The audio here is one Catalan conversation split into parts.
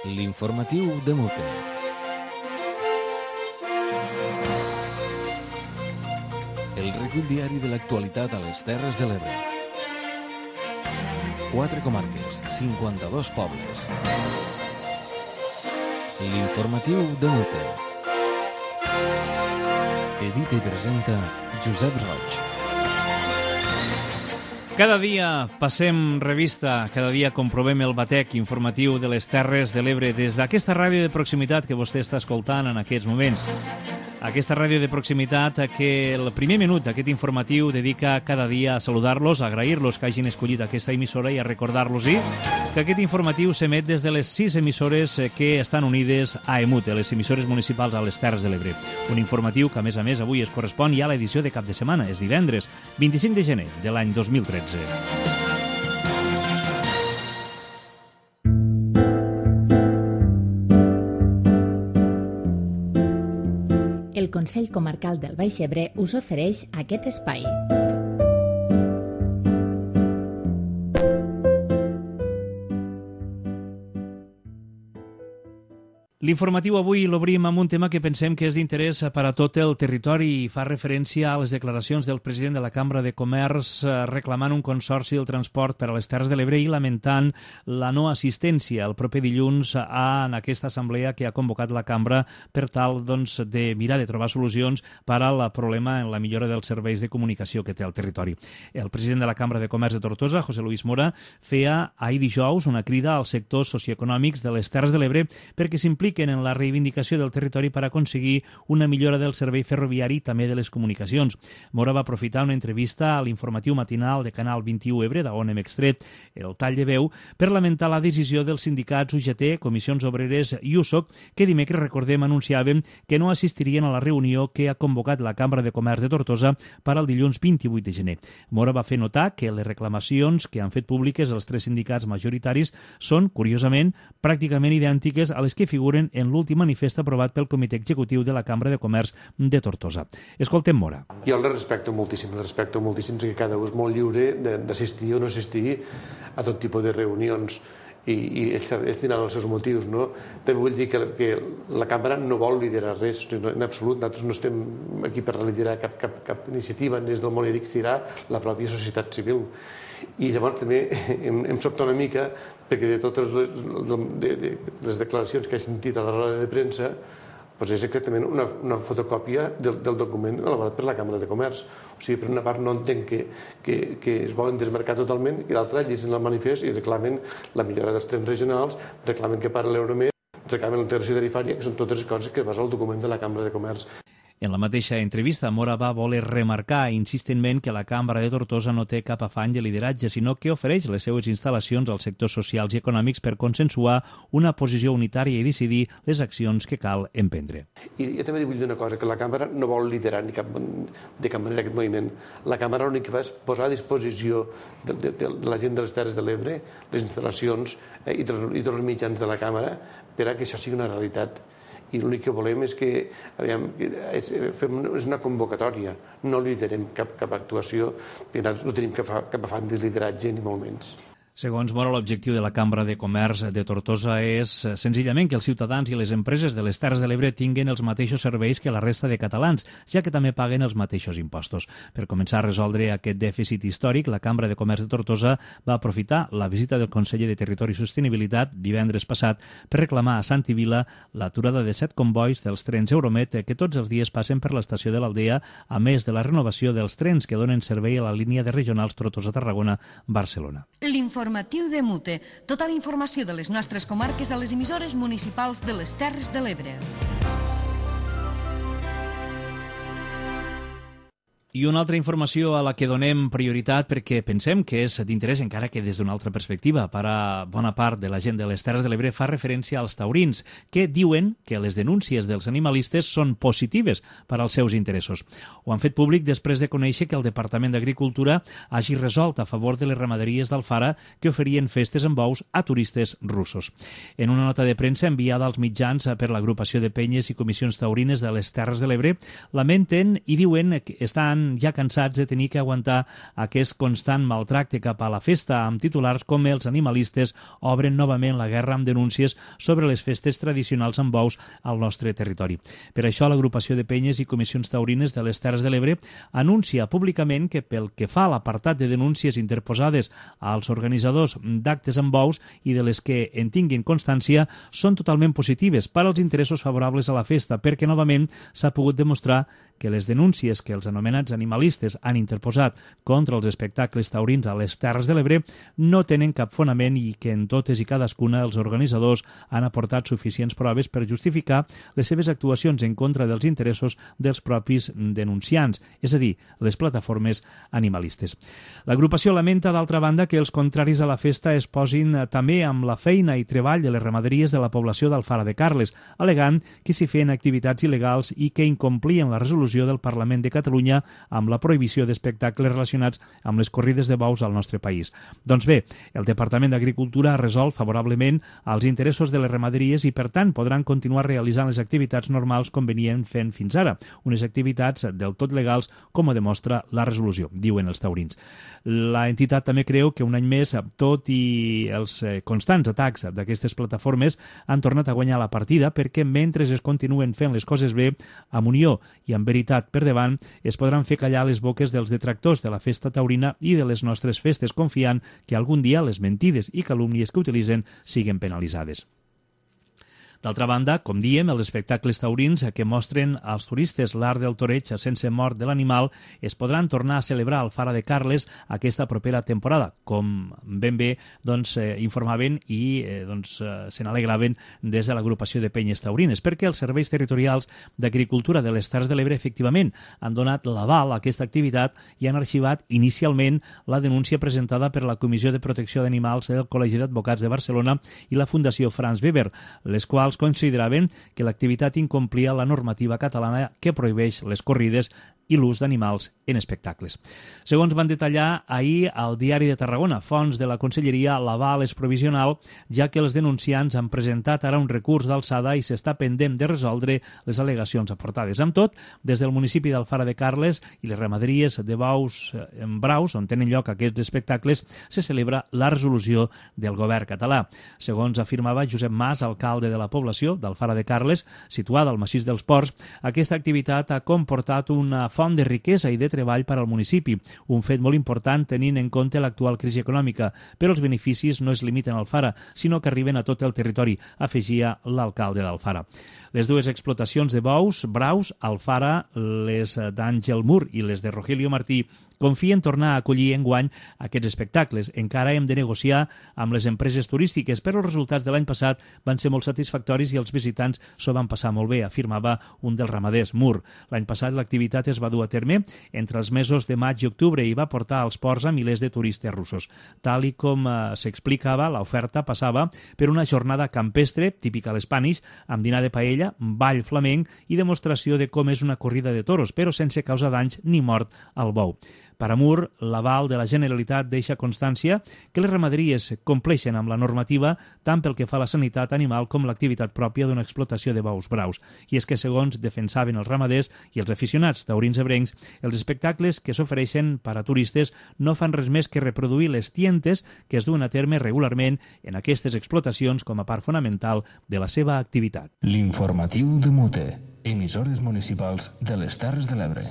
L'informatiu de Mute. El recull diari de l'actualitat a les Terres de l'Ebre. 4 comarques, 52 pobles. L'informatiu de Mute. Edita i presenta Josep Roig. Cada dia passem revista, cada dia comprovem el batec informatiu de les Terres de l'Ebre des d'aquesta ràdio de proximitat que vostè està escoltant en aquests moments. Aquesta ràdio de proximitat que el primer minut d'aquest informatiu dedica cada dia a saludar-los, a agrair-los que hagin escollit aquesta emissora i a recordar-los-hi que aquest informatiu s'emet des de les 6 emissores que estan unides a EMUT, les emissores municipals a les Terres de l'Ebre. Un informatiu que, a més, avui es correspon ja a l'edició de cap de setmana, és divendres, 25 de gener de l'any 2013. El Consell Comarcal del Baix Ebre us ofereix aquest espai. L'informatiu avui l'obrim amb un tema que pensem que és d'interès per a tot el territori i fa referència a les declaracions del president de la Cambra de Comerç reclamant un consorci del transport per a les Terres de l'Ebre i lamentant la no assistència el proper dilluns en aquesta assemblea que ha convocat la Cambra per tal de mirar de trobar solucions per al problema en la millora dels serveis de comunicació que té el territori. El president de la Cambra de Comerç de Tortosa, José Luis Mora, feia ahir dijous una crida als sectors socioeconòmics de les Terres de l'Ebre perquè s'impliquen en la reivindicació del territori per aconseguir una millora del servei ferroviari i també de les comunicacions. Mora va aprofitar una entrevista a l'informatiu matinal de Canal 21 Ebre, d'on hem extret el tall de veu, per lamentar la decisió dels sindicats UGT, Comissions Obreres i USOC, que dimecres, recordem, anunciaven que no assistirien a la reunió que ha convocat la Cambra de Comerç de Tortosa per al dilluns 28 de gener. Mora va fer notar que les reclamacions que han fet públiques els 3 sindicats majoritaris són, curiosament, pràcticament idèntiques a les que figuren en l'últim manifest aprovat pel Comitè Executiu de la Cambra de Comerç de Tortosa. Escoltem Mora. Jo les respecto moltíssim que cada un és molt lliure d'assistir o no assistir a tot tipus de reunions i ells tindran els seus motius, no? També vull dir que la Cambra no vol liderar res, en absolut. Nosaltres no estem aquí per liderar cap iniciativa, des del món i dic serà la pròpia societat civil. I llavors també em sobta una mica perquè de totes les declaracions que he sentit a la roda de premsa doncs és exactament una fotocòpia del document elaborat per la Cambra de Comerç. O sigui, per una part no entenc que es volen desmarcar totalment i l'altra llegeixen el manifest i reclamen la millora dels trens regionals, reclamen que pari l'Euromed, reclamen la integració tarifària, que són totes les coses que basa el document de la Cambra de Comerç. En la mateixa entrevista, Mora va voler remarcar insistentment que la Cambra de Tortosa no té cap afany de lideratge, sinó que ofereix les seues instal·lacions als sectors socials i econòmics per consensuar una posició unitària i decidir les accions que cal emprendre. I jo també vull dir una cosa, que la Cambra no vol liderar de cap manera aquest moviment. La Cambra l'únic que fa és posar a disposició de la gent de les Terres de l'Ebre les instal·lacions i dels mitjans de la Cambra per a que això sigui una realitat. I l'únic que volem és que és una convocatòria, no liderem cap actuació, perquè nosaltres no tenim cap afany de lideratge ni molt menys. Segons Mora, l'objectiu de la Cambra de Comerç de Tortosa és senzillament que els ciutadans i les empreses de les Terres de l'Ebre tinguin els mateixos serveis que la resta de catalans, ja que també paguen els mateixos impostos. Per començar a resoldre aquest dèficit històric, la Cambra de Comerç de Tortosa va aprofitar la visita del conseller de Territori i Sostenibilitat divendres passat per reclamar a Sant i Vila l'aturada de 7 convois dels trens Euromed que tots els dies passen per l'estació de l'Aldea, a més de la renovació dels trens que donen servei a la línia de regionals Tortosa-Tarragona-Barcelona. Informatiu de Mute. Tota la informació de les nostres comarques a les emissores municipals de les Terres de l'Ebre. I una altra informació a la que donem prioritat perquè pensem que és d'interès encara que des d'una altra perspectiva per a bona part de la gent de les Terres de l'Ebre fa referència als taurins, que diuen que les denúncies dels animalistes són positives per als seus interessos. Ho han fet públic després de conèixer que el Departament d'Agricultura hagi resolt a favor de les ramaderies d'Alfara que oferien festes amb bous a turistes russos. En una nota de premsa enviada als mitjans per l'agrupació de penyes i comissions taurines de les Terres de l'Ebre, lamenten i diuen que estan estan ja cansats de tenir que aguantar aquest constant maltracte cap a la festa, amb titulars com els animalistes obren novament la guerra amb denúncies sobre les festes tradicionals amb bous al nostre territori. Per això, l'agrupació de penyes i comissions taurines de les Terres de l'Ebre anuncia públicament que pel que fa a l'apartat de denúncies interposades als organitzadors d'actes amb bous i de les que en tinguin constància són totalment positives per als interessos favorables a la festa, perquè novament s'ha pogut demostrar que les denúncies que els anomenats animalistes han interposat contra els espectacles taurins a les Terres de l'Ebre no tenen cap fonament i que en totes i cadascuna els organitzadors han aportat suficients proves per justificar les seves actuacions en contra dels interessos dels propis denunciants, és a dir, les plataformes animalistes. L'agrupació lamenta, d'altra banda, que els contraris a la festa es posin també amb la feina i treball de les ramaderies de la població d'Alfara de Carles, alegant que s'hi feien activitats il·legals i que incomplien la resolució del Parlament de Catalunya amb la prohibició d'espectacles relacionats amb les corrides de bous al nostre país. Doncs bé, el Departament d'Agricultura ha resolt favorablement als interessos de les ramaderies i, per tant, podran continuar realitzant les activitats normals com venien fent fins ara, unes activitats del tot legals, com ho demostra la resolució, diuen els taurins. La entitat també creu que un any més, tot i els constants atacs d'aquestes plataformes, han tornat a guanyar la partida perquè mentre es continuen fent les coses bé, amb unió i amb veritat per davant, es podran fer callar les boques dels detractors de la festa taurina i de les nostres festes, confiant que algun dia les mentides i calúmnies que utilitzen siguen penalitzades. D'altra banda, com diem, els espectacles taurins que mostren als turistes l'art del toreig sense mort de l'animal es podran tornar a celebrar al Fara de Carles aquesta propera temporada, com ben bé informaven i se n'alegraven des de l'agrupació de penyes taurines, perquè els serveis territorials d'agricultura de les Terres de l'Ebre efectivament han donat l'aval a aquesta activitat i han arxivat inicialment la denúncia presentada per la Comissió de Protecció d'Animals del Col·legi d'Advocats de Barcelona i la Fundació Franz Weber, les quals consideraven que l'activitat incomplia la normativa catalana que prohibeix les corrides i l'ús d'animals en espectacles. Segons van detallar ahir al Diari de Tarragona, fonts de la Conselleria, l'aval és provisional, ja que els denunciants han presentat ara un recurs d'alçada i s'està pendent de resoldre les al·legacions aportades. Amb tot, des del municipi d'Alfara de Carles i les ramaderies de bous en Braus, on tenen lloc aquests espectacles, se celebra la resolució del govern català. Segons afirmava Josep Mas, alcalde de la població d'Alfara de Carles, situada al massís dels Ports, aquesta activitat ha comportat una font de riquesa i de treball per al municipi, un fet molt important tenint en compte l'actual crisi econòmica, però els beneficis no es limiten a Alfara, sinó que arriben a tot el territori, afegia l'alcalde d'Alfara. Les dues explotacions de bous, Braus, Alfara, les d'Àngel Mur i les de Rogelio Martí, confien tornar a acollir enguany aquests espectacles. Encara hem de negociar amb les empreses turístiques, però els resultats de l'any passat van ser molt satisfactoris i els visitants s'ho van passar molt bé, afirmava un dels ramaders, Mur. L'any passat l'activitat es va dur a terme entre els mesos de maig i octubre i va portar als ports a milers de turistes russos. Tal i com s'explicava, l'oferta passava per una jornada campestre, típica a l'Spanish, amb dinar de paella, ball flamenc i demostració de com és una corrida de toros, però sense causar danys ni mort al bou. Per a Mur, l'aval de la Generalitat deixa constància que les ramaderies compleixen amb la normativa tant pel que fa a la sanitat animal com l'activitat pròpia d'una explotació de bous braus. I és que, segons defensaven els ramaders i els aficionats taurins ebrencs, els espectacles que s'ofereixen per a turistes no fan res més que reproduir les tientes que es duen a terme regularment en aquestes explotacions com a part fonamental de la seva activitat. L'informatiu de Mute, emissores municipals de les Terres de l'Ebre.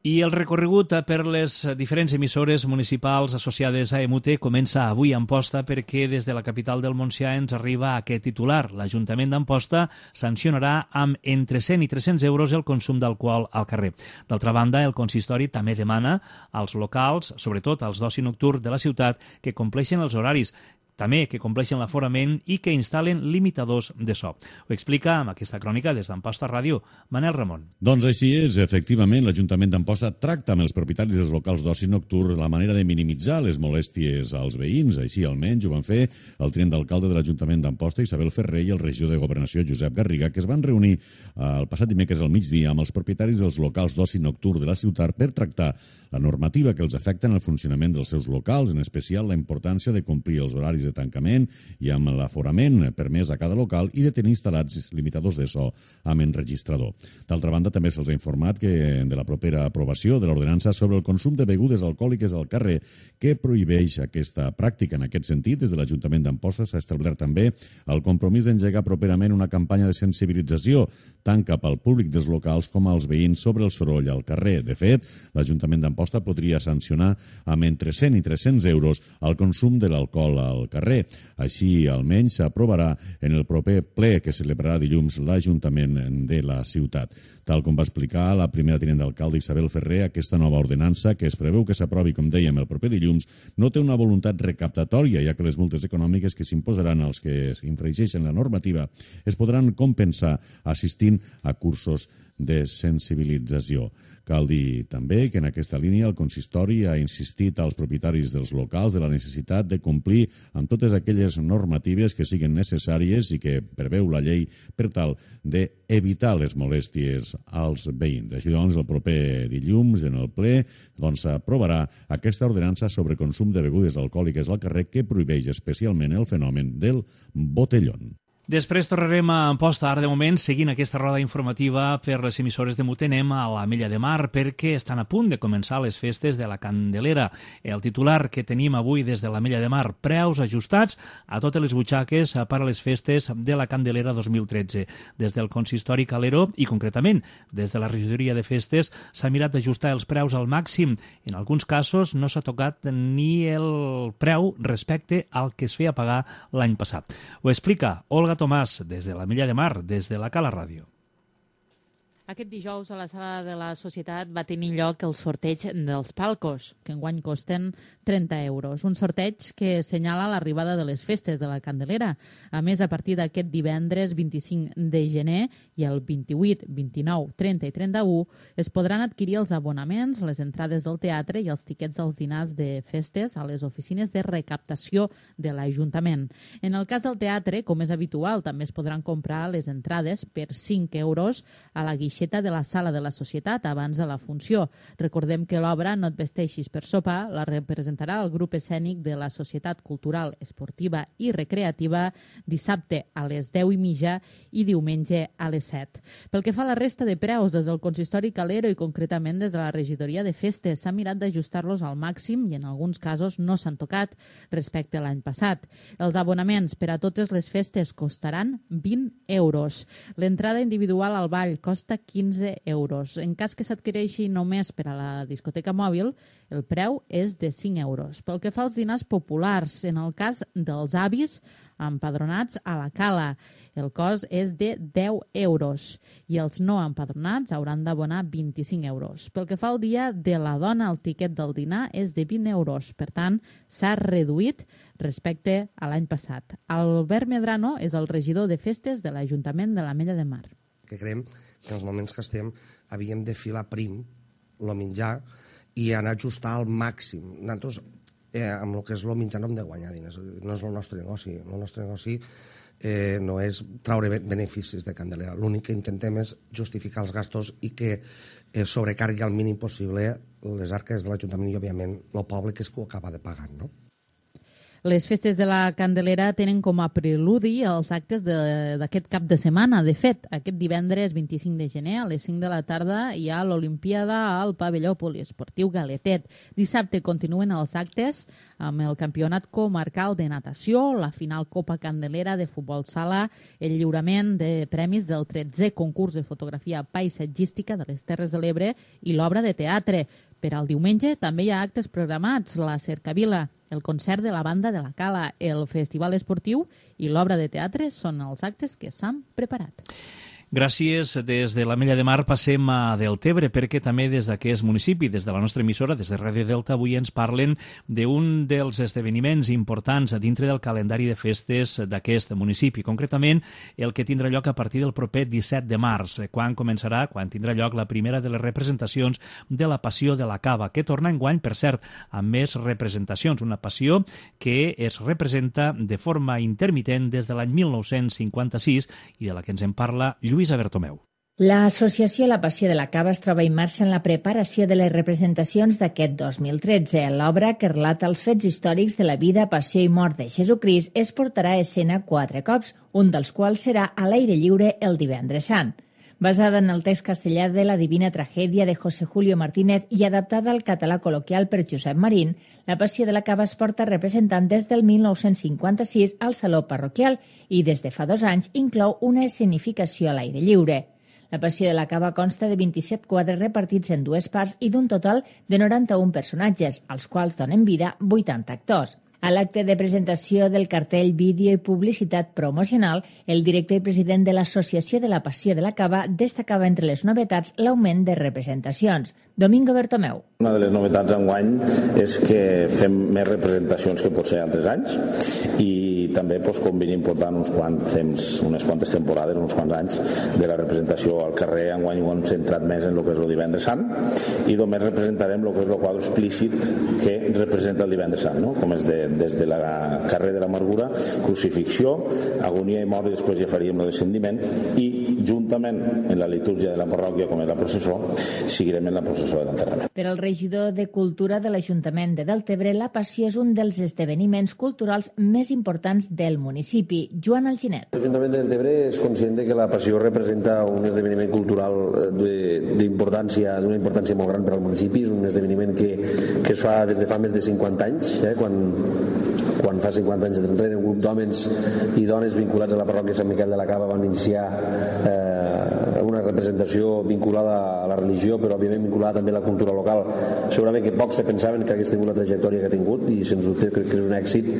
I el recorregut per les diferents emissores municipals associades a EMUTE comença avui a Amposta perquè des de la capital del Montsià ens arriba aquest titular. L'Ajuntament d'Amposta sancionarà amb entre 100 i 300 euros el consum d'alcohol al carrer. D'altra banda, el consistori també demana als locals, sobretot als d'oci nocturn de la ciutat, que compleixen els horaris, també que compleixen l'aforament i que instal·len limitadors de so. Ho explica amb aquesta crònica des d'Amposta Ràdio, Manel Ramon. Doncs així és, efectivament, l'Ajuntament d'Amposta tracta amb els propietaris dels locals d'oci nocturn la manera de minimitzar les molèsties als veïns. Així, almenys, ho van fer el tinent d'alcalde de l'Ajuntament d'Amposta, Isabel Ferrer, i el regidor de Governació, Josep Garriga, que es van reunir el passat dimecres al migdia amb els propietaris dels locals d'oci nocturn de la ciutat per tractar la normativa que els afecta en el funcionament dels seus locals, en especial la importància de complir els horaris horaris de tancament i amb l'aforament permès a cada local i de tenir instal·lats limitadors de so amb enregistrador. D'altra banda, també se'ls ha informat que de la propera aprovació de l'ordenança sobre el consum de begudes alcohòliques al carrer que prohibeix aquesta pràctica. En aquest sentit, des de l'Ajuntament d'Amposta s'ha establert també el compromís d'engegar properament una campanya de sensibilització tant cap al públic dels locals com als veïns sobre el soroll al carrer. De fet, l'Ajuntament d'Amposta podria sancionar amb entre 100 i 300 euros el consum de l'alcohol al carrer. Així, almenys, s'aprovarà en el proper ple que celebrarà dilluns l'Ajuntament de la ciutat. Tal com va explicar la primera tinent d'alcalde Isabel Ferrer, aquesta nova ordenança, que es preveu que s'aprovi, com dèiem, el proper dilluns, no té una voluntat recaptatòria, ja que les multes econòmiques que s'imposaran als que infringeixen la normativa es podran compensar assistint a cursos de sensibilització. Cal dir també que en aquesta línia el consistori ha insistit als propietaris dels locals de la necessitat de complir amb totes aquelles normatives que siguin necessàries i que preveu la llei per tal d'evitar les molèsties als veïns. Així doncs, el proper dilluns en el ple s'aprovarà aquesta ordenança sobre consum de begudes alcohòliques al carrer que prohibeix especialment el fenomen del botellón. Després tornarem a Amposta. Ara, de moment, seguint aquesta roda informativa per les emissores de Mute, anem a l'Ametlla de Mar perquè estan a punt de començar les festes de la Candelera. El titular que tenim avui des de l'Ametlla de Mar, preus ajustats a totes les butxaques per a les festes de la Candelera 2013. Des del consistori calero i, concretament, des de la regidoria de festes, s'ha mirat d'ajustar els preus al màxim. En alguns casos no s'ha tocat ni el preu respecte al que es feia pagar l'any passat. Ho explica Olga Tomàs, des de l'Ametlla de Mar, des de la Cala Ràdio. Aquest dijous a la sala de la Societat va tenir lloc el sorteig dels palcos, que enguany costen 30 euros. Un sorteig que assenyala l'arribada de les festes de la Candelera. A més, a partir d'aquest divendres 25 de gener i el 28, 29, 30 i 31 es podran adquirir els abonaments, les entrades del teatre i els tiquets dels dinars de festes a les oficines de recaptació de l'Ajuntament. En el cas del teatre, com és habitual, també es podran comprar les entrades per 5 euros a la guixeta de la sala de la Societat abans de la funció. Recordem que l'obra No et vesteixis per sopar la representarà el grup escènic de la Societat Cultural, Esportiva i Recreativa dissabte a les 10:30 i diumenge a les 7. Pel que fa a la resta de preus, des del consistori calero i concretament des de la regidoria de festes s'ha mirat d'ajustar-los al màxim i en alguns casos no s'han tocat respecte a l'any passat. Els abonaments per a totes les festes costaran 20 euros. L'entrada individual al ball costa 15 euros. En cas que s'adquireixi només per a la discoteca mòbil, el preu és de 5 euros. Pel que fa als dinars populars, en el cas dels avis empadronats a la Cala, el cost és de 10 euros i els no empadronats hauran d'abonar 25 euros. Pel que fa al dia de la dona, el tiquet del dinar és de 20 euros. Per tant, s'ha reduït respecte a l'any passat. Albert Medrano és el regidor de festes de l'Ajuntament de l'Ametlla de Mar. Que creiem que en els moments que estem havíem de filar prim el menjar i anar a ajustar al màxim. Nosaltres, amb el que és el menjar, no hem de guanyar diners. No és el nostre negoci. El nostre negoci no és traure beneficis de Candelera. L'únic que intentem és justificar els gastos i que sobrecargui al mínim possible les arques de l'Ajuntament i, òbviament, el poble que és que ho acaba de pagar, no? Les festes de la Candelera tenen com a preludi els actes d'aquest cap de setmana. De fet, aquest divendres 25 de gener a les 5 de la tarda hi ha l'Olimpiada al pavelló poliesportiu Galetet. Dissabte continuen els actes amb el campionat comarcal de natació, la final Copa Candelera de futbol sala, el lliurament de premis del 13è concurs de fotografia paisatgística de les Terres de l'Ebre i l'obra de teatre. Per al diumenge també hi ha actes programats, la Cercavila, el concert de la banda de la Cala, el festival esportiu i l'obra de teatre són els actes que s'han preparat. Gràcies. Des de l'Ametlla de Mar passem a Deltebre, perquè també des d'aquest municipi, des de la nostra emissora, des de Ràdio Delta, avui ens parlen d'un dels esdeveniments importants dintre del calendari de festes d'aquest municipi, concretament el que tindrà lloc a partir del proper 17 de març, quan tindrà lloc la primera de les representacions de la Passió de la Cava, que torna enguany, per cert, amb més representacions, una passió que es representa de forma intermitent des de l'any 1956 i de la que ens en parla Lluïsa Bertomeu. L'associació La Passió de la Cava es troba immersa en la preparació de les representacions d'aquest 2013. L'obra, que relata els fets històrics de la vida, passió i mort de Jesucrist, es portarà a escena 4 cops, un dels quals serà a l'aire lliure el Divendres Sant. Basada en el text castellà de la Divina Tragèdia de José Julio Martínez i adaptada al català col·loquial per Josep Marín, La Passió de la Cava es porta representant des del 1956 al Saló Parroquial i des de fa 2 anys inclou una escenificació a l'aire lliure. La Passió de la Cava consta de 27 quadres repartits en 2 parts i d'un total de 91 personatges, als quals donen vida 80 actors. A l'acte de presentació del cartell, vídeo i publicitat promocional, el director i president de l'Associació de la Passió de la Cava destacava entre les novetats l'augment de representacions. Domingo Bertomeu. Una de les novetats enguany és que fem més representacions que potser altres anys i també com venim portant unes quantes temporades, uns quants anys de la representació al carrer. Enguany ho hem centrat més en el que és el Divendres Sant i només representarem el que és el quadre explícit que representa el Divendres Sant, no? Com és des de la carrer de l'Amargura, crucifixió, agonia i mort, i després ja faríem el descendiment, i juntament en la litúrgia de la parròquia, com és la processó, seguirem en la processó de l'enterrament. Per al regidor de Cultura de l'Ajuntament de Deltebre, la Passió és un dels esdeveniments culturals més importants del municipi. Joan Alginet. L'Ajuntament de Deltebre és conscient que la Passió representa un esdeveniment cultural d'una importància molt gran per al municipi. És un esdeveniment que es fa des de fa més de 50 anys, quan fa 50 anys enrere un grup d'homes i dones vinculats a la parròquia Sant Miquel de la Cava van iniciar una representació vinculada a la religió, però òbviament vinculada també a la cultura local. Segurament que pocs se pensaven que hagués tingut la trajectòria que ha tingut i sens dubte crec que és un èxit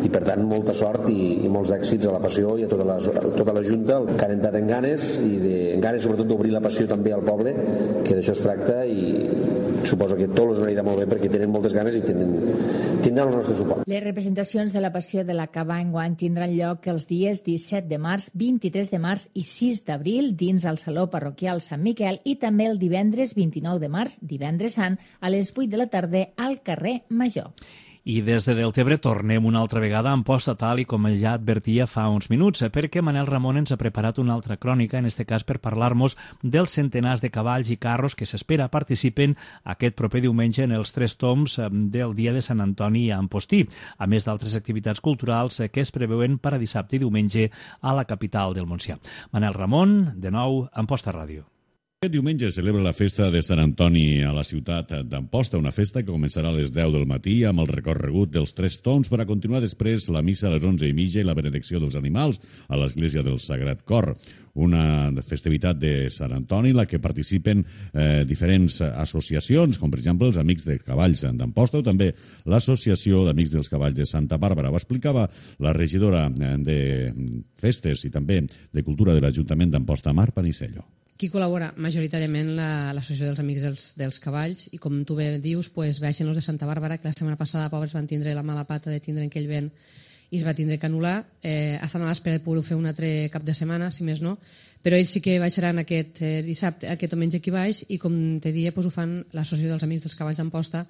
i per tant molta sort i molts èxits a la Passió i a tota la Junta, que han entrat en ganes sobretot d'obrir la Passió també al poble, que d'això es tracta, i suposo que tot els anirà molt bé perquè tenen moltes ganes i tindran el nostre suport. Les representacions de la Passió de la Cava enguany tindran lloc els dies 17 de març, 23 de març i 6 d'abril dins el Saló Parroquial Sant Miquel i també el divendres 29 de març, Divendres Sant, a les 8 de la tarda al carrer Major. I des de Deltebre tornem una altra vegada a Amposta, tal i com ja advertia fa uns minuts, perquè Manel Ramon ens ha preparat una altra crònica, en este cas per parlar-nos dels centenars de cavalls i carros que s'espera participen aquest proper diumenge en els 3 tombs del dia de Sant Antoni a Ampostí, a més d'altres activitats culturals que es preveuen per a dissabte i diumenge a la capital del Montsià. Manel Ramon, de nou, Amposta Ràdio. Aquest diumenge es celebra la festa de Sant Antoni a la ciutat d'Amposta, una festa que començarà a les 10 del matí amb el recorregut dels 3 tombs per a continuar després la missa a les 11:30 i la benedicció dels animals a l'església del Sagrat Cor. Una festivitat de Sant Antoni en la que participen diferents associacions, com per exemple els Amics de Cavalls d'Amposta o també l'Associació d'Amics dels Cavalls de Santa Bàrbara. Ho explicava la regidora de Festes i també de Cultura de l'Ajuntament d'Amposta, Mar Panisello. Qui col·labora majoritàriament l'Associació dels Amics dels Cavalls i com tu bé dius, baixen els de Santa Bàrbara, que la setmana passada pobres van tindre la mala pata de tindre aquell vent i es va tindre que anul·lar. Estan a l'espera de poder fer un altre cap de setmana, si més no, però ells sí que baixaran aquest dissabte, aquest diumenge aquí baix, i com te dia ho fan l'Associació dels Amics dels Cavalls d'Amposta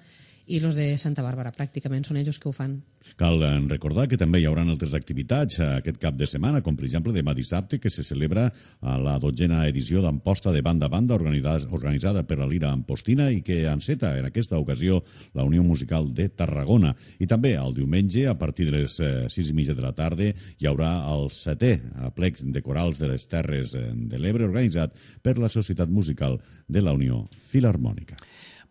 i els de Santa Bàrbara, pràcticament són ells que ho fan. Cal recordar que també hi haurà altres activitats aquest cap de setmana, com per exemple demà dissabte, que se celebra a la 12a edició d'Amposta de Banda a Banda, organitzada per la Lira Ampostina i que enceta en aquesta ocasió la Unió Musical de Tarragona. I també el diumenge, a partir de les 6:30 de la tarda, hi haurà el 7è aplec de corals de les Terres de l'Ebre, organitzat per la Societat Musical de la Unió Filharmònica.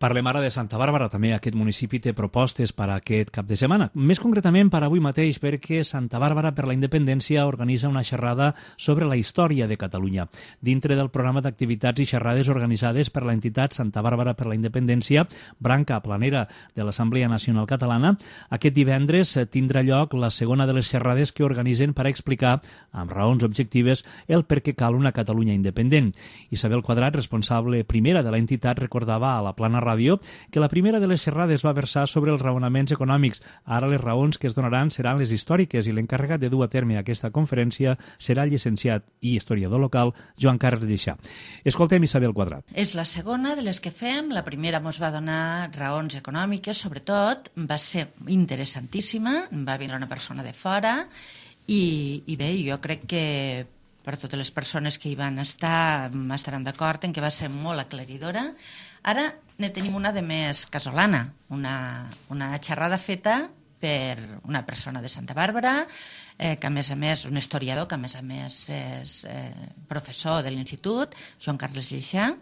Parlem ara de Santa Bàrbara. També aquest municipi té propostes per a aquest cap de setmana. Més concretament per avui mateix, perquè Santa Bàrbara per la Independència organitza una xerrada sobre la història de Catalunya. Dintre del programa d'activitats i xerrades organitzades per l'entitat Santa Bàrbara per la Independència, branca planera de l'Assemblea Nacional Catalana, aquest divendres tindrà lloc la segona de les xerrades que organitzen per a explicar, amb raons objectives, el per què cal una Catalunya independent. Isabel Quadrat, responsable primera de l'entitat, recordava a la Plana Ràdio que la primera de les xerrades va versar sobre els raonaments econòmics. Ara les raons que es donaran seran les històriques i l'encarregat de dur a terme aquesta conferència serà el llicenciat i historiador local Joan Carles Lleixà. Escoltem Isabel Quadrat. És la segona de les que fem. La primera ens va donar raons econòmiques, sobretot. Va ser interessantíssima. Va vindre una persona de fora i bé, jo crec que per totes les persones que hi van estar, estaran d'acord en que va ser molt aclaridora. Ara ne tenim una de més casolana, una xerrada feta per una persona de Santa Bàrbara, que a més, un historiador, que a més és professor de l'Institut, Joan Carles Lleixà,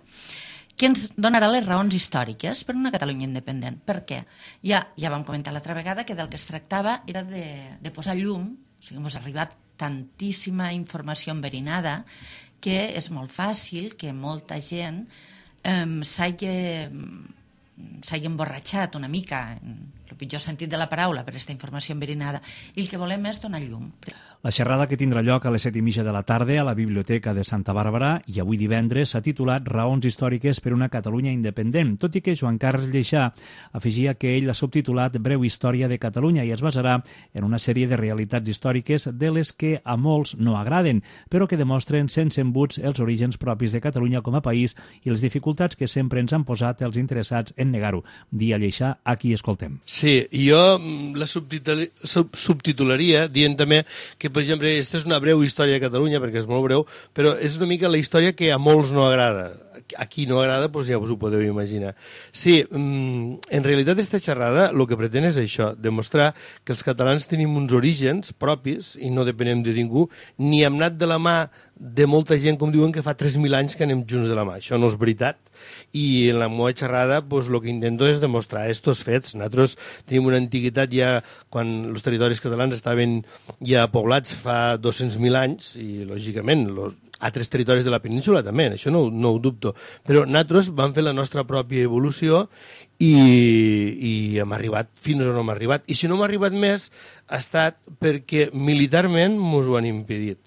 que ens donarà les raons històriques per una Catalunya independent. Per què? Ja vam comentar l'altra vegada que del que es tractava era de posar llum, o sigui, ens ha arribat tantíssima informació enverinada que és molt fàcil que molta gent s'hagi emborratxat una mica, en el pitjor sentit de la paraula, per aquesta informació enverinada, i el que volem és donar llum. La xerrada, que tindrà lloc a les 7:30 de la tarda a la Biblioteca de Santa Bàrbara i avui divendres, s'ha titulat Raons històriques per una Catalunya independent, tot i que Joan Carles Lleixà afegia que ell l'ha subtitulat Breu història de Catalunya i es basarà en una sèrie de realitats històriques de les que a molts no agraden, però que demostren sense embuts els orígens propis de Catalunya com a país i les dificultats que sempre ens han posat els interessats en negar-ho. Dia Lleixà, a qui escoltem. Sí, jo la subtitularia dient també que, per exemple, aquesta és una breu història de Catalunya, perquè és molt breu, però és una mica la història que a molts no agrada. A qui no agrada, doncs ja us ho podeu imaginar. Sí, en realitat aquesta xerrada el que pretén és això, demostrar que els catalans tenim uns orígens propis i no depenem de ningú, ni hem anat de la mà de molta gent, com diuen, que fa 3.000 anys que anem junts de la mà. Això no és veritat. I en la meva xerrada el que intento és demostrar aquests fets. Nosaltres tenim una antiguitat ja quan els territoris catalans estaven ja poblats fa 200.000 anys i, lògicament, altres territoris de la península també, això no ho dubto. Però nosaltres vam fer la nostra pròpia evolució i hem arribat fins on hem arribat. I si no hem arribat més ha estat perquè militarment ens ho han impedit.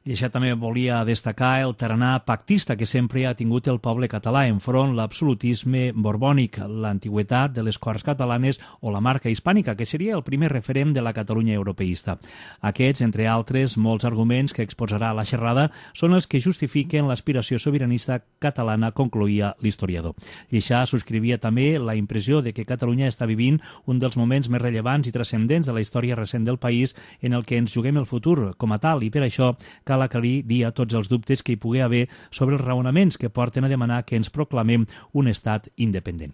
I això també volia destacar el tarannà pactista que sempre ha tingut el poble català enfront l'absolutisme borbònic, l'antigüitat de les Corts catalanes o la marca hispànica, que seria el primer referent de la Catalunya europeista. Aquests, entre altres, molts arguments que exposarà la xerrada són els que justifiquen l'aspiració sobiranista catalana, concloïa l'historiador. I això subscrivia també la impressió de que Catalunya està vivint un dels moments més rellevants i transcendents de la història recent del país en el que ens juguem el futur com a tal, i per això cal aclarir dia tots els dubtes que hi pugui haver sobre els raonaments que porten a demanar que ens proclamem un estat independent.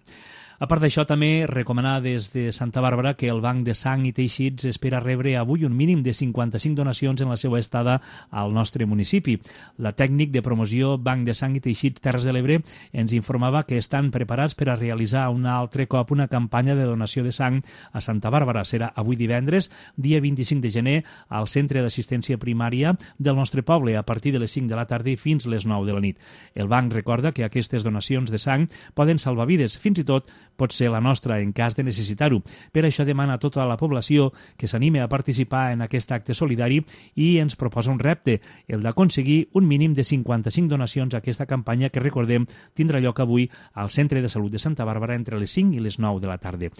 A part d'això, també recomanar des de Santa Bàrbara que el Banc de Sang i Teixits espera rebre avui un mínim de 55 donacions en la seva estada al nostre municipi. La tècnic de promoció Banc de Sang i Teixits Terres de l'Ebre ens informava que estan preparats per a realitzar un altre cop una campanya de donació de sang a Santa Bàrbara. Serà avui divendres, dia 25 de gener, al Centre d'Assistència Primària del nostre poble, a partir de les 5 de la tarda i fins les 9 de la nit. El banc recorda que aquestes donacions de sang poden salvar vides, fins i tot pot ser la nostra en cas de necessitar-ho. Per això demana a tota la població que s'anime a participar en aquest acte solidari i ens proposa un repte, el d'aconseguir un mínim de 55 donacions a aquesta campanya que, recordem, tindrà lloc avui al Centre de Salut de Santa Bàrbara entre les 5 i les 9 de la tarda.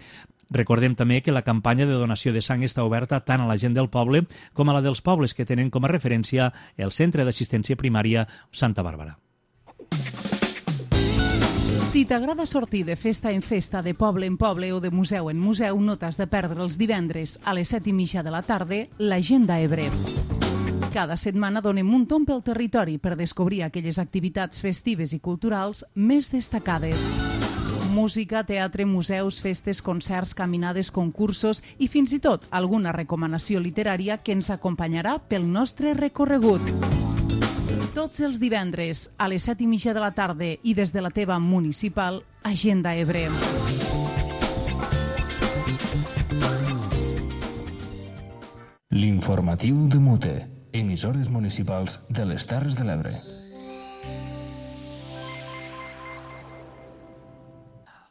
Recordem també que la campanya de donació de sang està oberta tant a la gent del poble com a la dels pobles que tenen com a referència el Centre d'Assistència Primària Santa Bàrbara. Si t'agrada sortir de festa en festa, de poble en poble o de museu en museu, no t'has de perdre els divendres a les 7:30 de la tarda l'Agenda Ebre. Cada setmana donem un tomb pel territori per descobrir aquelles activitats festives i culturals més destacades. Música, teatre, museus, festes, concerts, caminades, concursos i fins i tot alguna recomanació literària que ens acompanyarà pel nostre recorregut. Tots els divendres a les 7:30 de la tarda i des de la teva municipal, Agenda Ebre. L'informatiu de Mute, emissores municipals de les Terres de l'Ebre.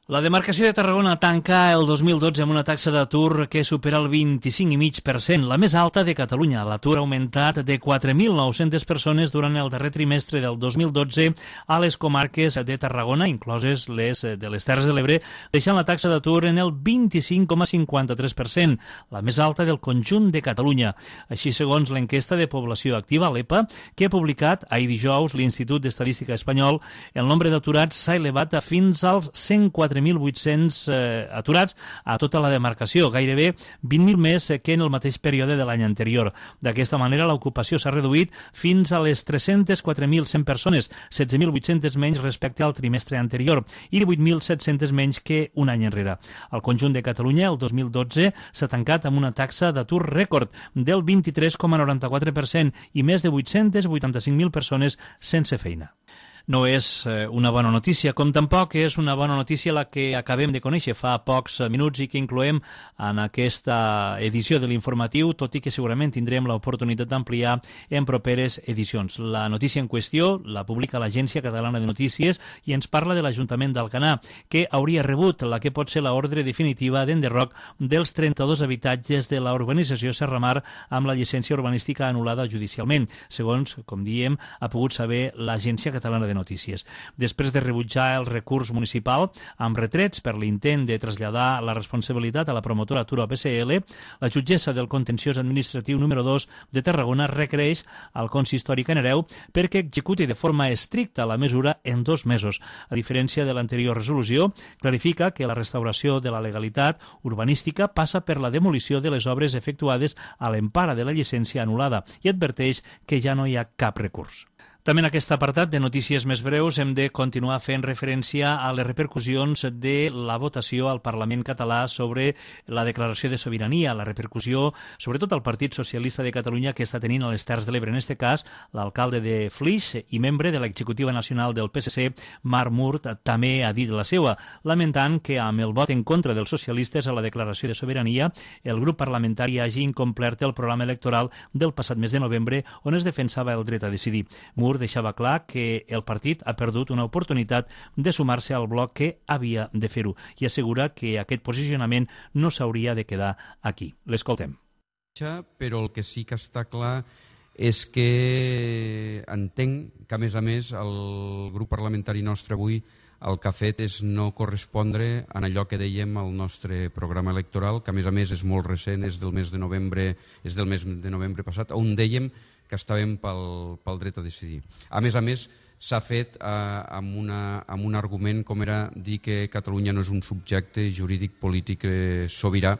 La demarcació de Tarragona tanca el 2012 amb una taxa d'atur que supera el 25,5%, la més alta de Catalunya. L'atur ha augmentat de 4.900 persones durant el darrer trimestre del 2012 a les comarques de Tarragona, incloses les de les Terres de l'Ebre, deixant la taxa d'atur en el 25,53%, la més alta del conjunt de Catalunya. Així, segons l'enquesta de població activa, l'EPA, que ha publicat ahir dijous l'Institut d'Estadística Espanyol, el nombre d'aturats s'ha elevat a fins als 104 4.800 aturats a tota la demarcació, gairebé 20.000 més que en el mateix període de l'any anterior. D'aquesta manera, l'ocupació s'ha reduït fins a les 304.100 persones, 16.800 menys respecte al trimestre anterior i 18.700 menys que un any enrere. Al conjunt de Catalunya, el 2012 s'ha tancat amb una taxa d'atur rècord del 23,94% i més de 885.000 persones sense feina. No és una bona notícia, com tampoc és una bona notícia la que acabem de conèixer fa pocs minuts i que incloem en aquesta edició de l'informatiu, tot i que segurament tindrem l'oportunitat d'ampliar en properes edicions. La notícia en qüestió la publica l'Agència Catalana de Notícies i ens parla de l'Ajuntament d'Alcanar, que hauria rebut la que pot ser l'ordre definitiva d'enderroc dels 32 habitatges de la urbanització Serramar amb la llicència urbanística anul·lada judicialment, segons, com diem, ha pogut saber l'Agència Catalana de Notícies. Després de rebutjar el recurs municipal amb retrets per l'intent de traslladar la responsabilitat a la promotora Turo PSL, la jutgessa del contenciós administratiu número 2 de Tarragona requereix al consistori Canareu perquè executi de forma estricta la mesura en 2 mesos. A diferència de l'anterior resolució, clarifica que la restauració de la legalitat urbanística passa per la demolició de les obres efectuades a l'empara de la llicència anul·lada i adverteix que ja no hi ha cap recurs. També en aquest apartat de notícies més breus hem de continuar fent referència a les repercussions de la votació al Parlament català sobre la declaració de sobirania, la repercussió sobretot al Partit Socialista de Catalunya que està tenint a les Terres de l'Ebre. En aquest cas, l'alcalde de Flix i membre de l'executiva nacional del PSC, Marc Murt, també ha dit la seva, lamentant que amb el vot en contra dels socialistes a la declaració de sobirania, el grup parlamentari hagi incomplert el programa electoral del passat mes de novembre on es defensava el dret a decidir. Murt deixava clar que el partit ha perdut una oportunitat de sumar-se al bloc que havia de fer-ho i assegura que aquest posicionament no s'hauria de quedar aquí. L'escoltem. Però el que sí que està clar és que entenc que, a més, el grup parlamentari nostre avui el que ha fet és no correspondre en allò que dèiem al nostre programa electoral, que a més és molt recent, és del mes de novembre passat, on dèiem que estàvem pel dret a decidir. A més, s'ha fet amb un argument com era dir que Catalunya no és un subjecte jurídic polític sobirà.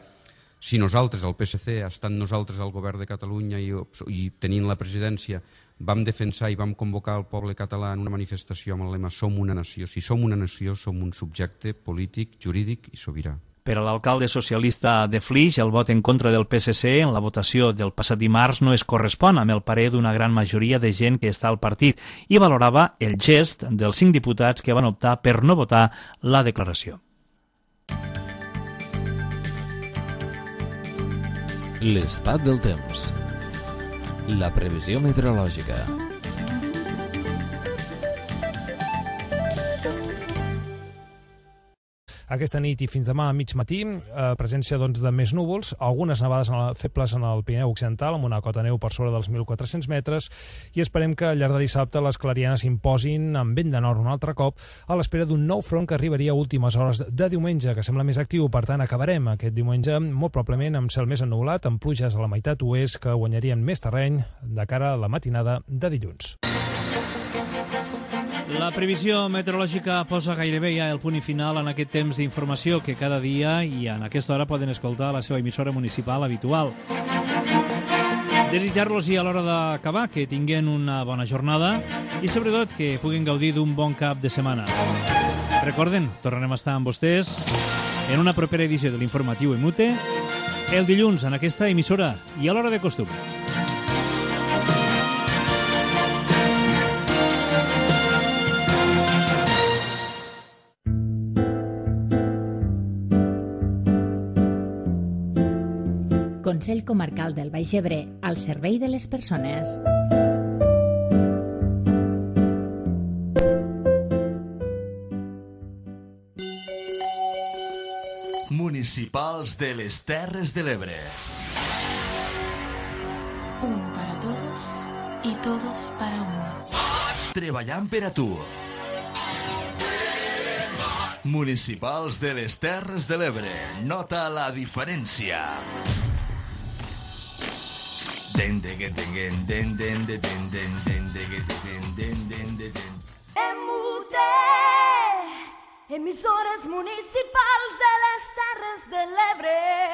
Si nosaltres, el PSC, estant nosaltres al govern de Catalunya i tenint la presidència, vam defensar i vam convocar el poble català en una manifestació amb el lema Som una nació. Si som una nació, som un subjecte polític, jurídic i sobirà. Per a l'alcalde socialista de Flix, el vot en contra del PSC en la votació del passat dimarts no es correspon amb el parer d'una gran majoria de gent que està al partit i valorava el gest dels 5 diputats que van optar per no votar la declaració. L'estat del temps. La previsió meteorològica. Aquesta nit i fins demà a mig matí, presència de més núvols, algunes nevades febles en el Pirineu Occidental, amb una cota neu per sobre dels 1.400 metres, i esperem que al llarg de dissabte les clarianes s'imposin amb vent de nord un altre cop, a l'espera d'un nou front que arribaria a últimes hores de diumenge, que sembla més actiu. Per tant, acabarem aquest diumenge molt probablement amb cel més ennuvolat, amb pluges a la meitat oest que guanyarien més terreny de cara a la matinada de dilluns. La previsió meteorològica posa gairebé ja el punt i final en aquest temps d'informació que cada dia i en aquesta hora poden escoltar a la seva emissora municipal habitual. Desitjar-los i a l'hora d'acabar que tinguin una bona jornada i sobretot que puguin gaudir d'un bon cap de setmana. Recorden, tornarem a estar amb vostès en una propera edició de l'informatiu EMUTE el dilluns en aquesta emissora i a l'hora de costum. Consell Comarcal del Baix Ebre, al servei de les persones. Municipals de les Terres de l'Ebre. Un para todos y todos para uno. Treballant per a tu. Municipals de les Terres de l'Ebre. Nota la diferència. Emissores municipals de les Terres de l'Ebre.